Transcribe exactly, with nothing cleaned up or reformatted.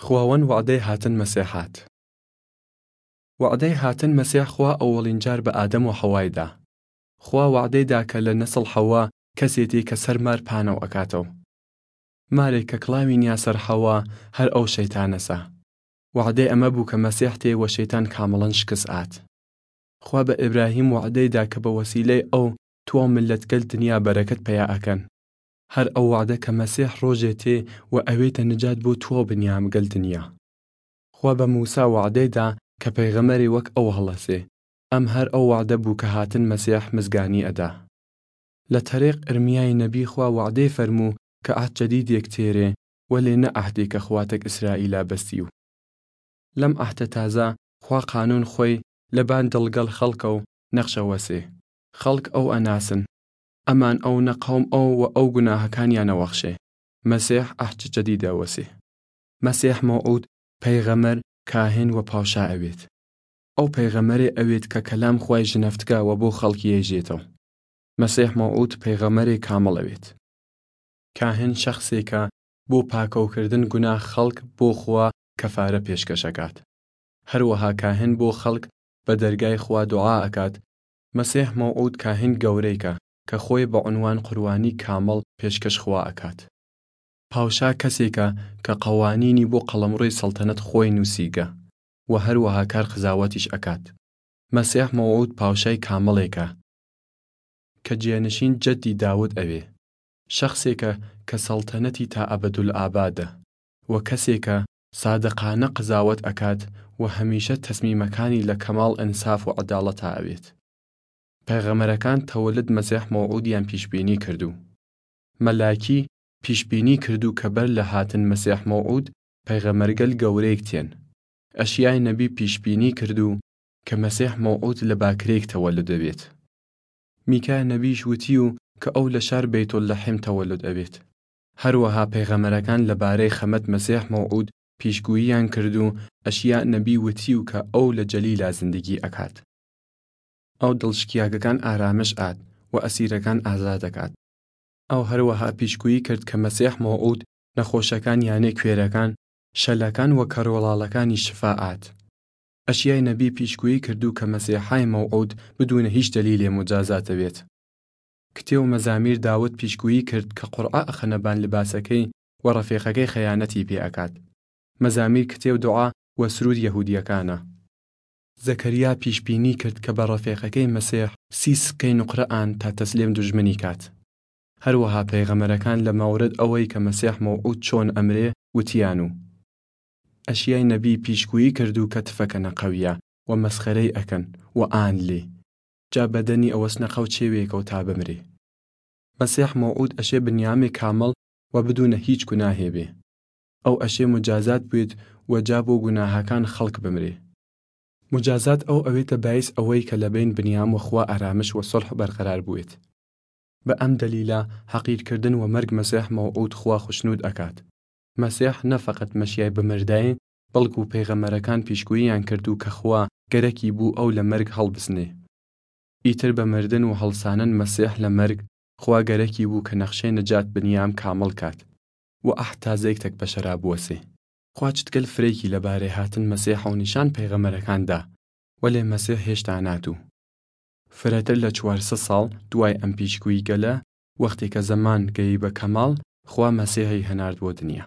خواوەن وەعدەی هاتن مەسیح هات. وەعدەی هاتن مەسیح خوا ئەوەڵین جار بە ئادەم و حەوای دا. خوا وەعدەی دا کە لە نەسڵ حەوا کەسێ تێ کە سەر مار پانەو ئەکاتەو. مارێ کە کڵاوی نیا سەر حەوا هەر ئەو شەیتانەسە. وەعدەی ئەمە بوو کە مەسیح تێ وە شەیتان کامڵەن شکست ئات. خوا بە ئیبراهیم وەعدەی دا کە بە وەسیلەی ئەو تواو مللەت گەل دنیا بەرەکەت پەیا ئەکەن. هەر ئەو وەعدە کە مەسیح ڕۆژێ تێ و ئەوێتە نجات بۆ تواو بنیام گەل دنیا. خوا بە موسا وەعدەی دا کە پەیغەمەرێ وەک ئەو هەڵەسێ. ئەم هەر ئەو وەعدە بوو کە هاتن مەسیح مزگانی ئەدا. لە تەریق ئرمیای نەبی خوا وەعدەی فەرموو کە عەهد جەدیدێک تێرێ، وەلێ نە عەهدێ کە خواتەک ئیسرائیلا بەستی و. لەم عەهدە تازە خوا قانوون خوەی لەبان دڵگەڵ خەڵکەو نەخشە وەسێ. خەڵک ئەو ئەناسن. ئەمان ئەو نە قەوم ئەو و ئەو گوناهەکانیا نەوەخشێ. مەسیح عەهد جەدیدە وەسێ. مەسیح مەوعود پەیغەمەر، کاهن و پاوشا ئەوێت. ئەو پەیغەمەرێ ئەوێت کە کەلام خوای ژنەفتگا و بۆ خەڵک یەیژێتەو. مەسیح مەوعود پەیغەمەرێ کامڵ ئەوێت. کاهن شەخسێکە بۆ پاکەوکردن گوناه خەڵک بۆ خوا کەفارە پێشکەش ئەکات. هەروەها کاهن بۆ خەڵک بە دەرگای خوا دوعا ئەکات. مەسیح مەوعود کاهن گەورەیکە کە خوەی بە عونوان قوربانی کامڵ پێشکەش خوا ئەکات. پاوشا کەسێکە کە قەوانینی بۆ قەڵەمڕووی سەڵتەنەت خوەی نووسیگە و هەروەها کار قزاوەتیش ئەکات. مەسیح مەوعود پاوشای کامڵێکە کە جێنشین جەدی داود ئەوێ. شەخسێکە کە سەڵتەنەتی تا ئەبەدولئابادە و کەسێکە سادقانە قزاوەت ئەکات و هەمیشە تەسمیمەکانی لە کەماڵ ئنساف و عەداڵەتا ئەوێت. پەیغەمەرەکان تەوەلد مەسیح مەوعودیان پیشبینی کردوو. مەلاکی پیشبینی کردوو کە بەر لە هاتن مەسیح مەوعود پەیغەمەرگەل گەورەیگ تێن. ئەشیای نەبی پیشبینی کردوو کە مەسیح مەوعود لە باکرەیگ تەوەلد ئەوێت. میکا نەبیش وتیو کە ئەو لە شار بەیتوللەحم تەوەلد ئەوێت. هەروەها پەیغەمەرەکان لە بارەی خەمەت مەسیح مەوعود پیشگوییان کردوو ئەشیا نەبی وتیو کە ئەو لە جەلیلا زندگی ئەکات. ئەو دڵشکیاگەکان ئارامش ئات و ئەسیرەکان ئازاد ئەکات. ئەو هەروەها پیشگویی کرد کە مەسیح مەوعود نەخۆشەکان یانێ کوێرەکان، شەلەکان و کەروڵاڵەکانی شفا ئات. ئەشیای نەبی پیشگویی کردوو کە مەسیحای مەوعود بدوونە هیچ دەلیلێ مجازات ئەوێت. کتێو مەزامیر داود پیشگویی کرد کە قورعە ئەخەنە بان لباسەکەی و ڕەفیقەکەی خەیانەتی پێ ئەکات. مەزامیر کتێو دوعا و سرود یەهودیەکانە. زەکەریا پیشبینی کرد کە بە ڕەفیقەکەی مەسیح سی سکەی نوقرە ئان تا تەسلیم دوژمنی کات. هەروەها پەیغەمەرەکان لە مەورد ئەوەی کە مەسیح مەوعود چۆن ئەمرێ وتیان و ئەشیای نەبی پیشگویی کردوو کە تفەکەنە قەویا و مەسخەرەی ئەکەن و ئان لێ جا بەدەنی ئەوەسنە قەو چێوێکەو تا بمرێ. مەسیح مەوعود ئەشێ بنیامێ کامڵ و بدوونە هیچ گوناهێ بێ. ئەو ئەشێ مجازات بوێت و جا بۆ گوناهەکان خەڵک بمرێ. مجازات ئەو ئەوێتە باعیس ئەوەی کە لە بەین بنیام و خوا ئارامش و سوڵح بەرقەرار بوێت. بە ئەم دەلیلە حەقیرکردن و مەرگ مەسیح مەوعود خوا خوشنود ئەکات. مەسیح نە فەقەت مەشیای بمرداین، بەڵکو پەیغەمەرەکان پیشگوییان کردوو کە خوا گەرەکی بوو ئەو لە مەرگ هەڵبسنێ. ئیتر بە مردن و هەڵسانن مەسیح لە مەرگ، خوا گەرەکی بوو کە نەخشەی نەجات بنیام کامڵ کات و عەهد تازەیگ تەک بەشەرا بوەسێ. خوا چتگەل فرەیکی لە بارەی هاتن مەسیحەو نیشان پەیغەمەرەکان دا، وەلێ مەسیح هێشتا ناتوو. فرەتر لە چوار سەد ساڵ دوای ئەم پیشگوییگەلە، وەختێ کە زەمان گەی بە کەماڵ، خوا مەسیحی هەنارد وە دنیا.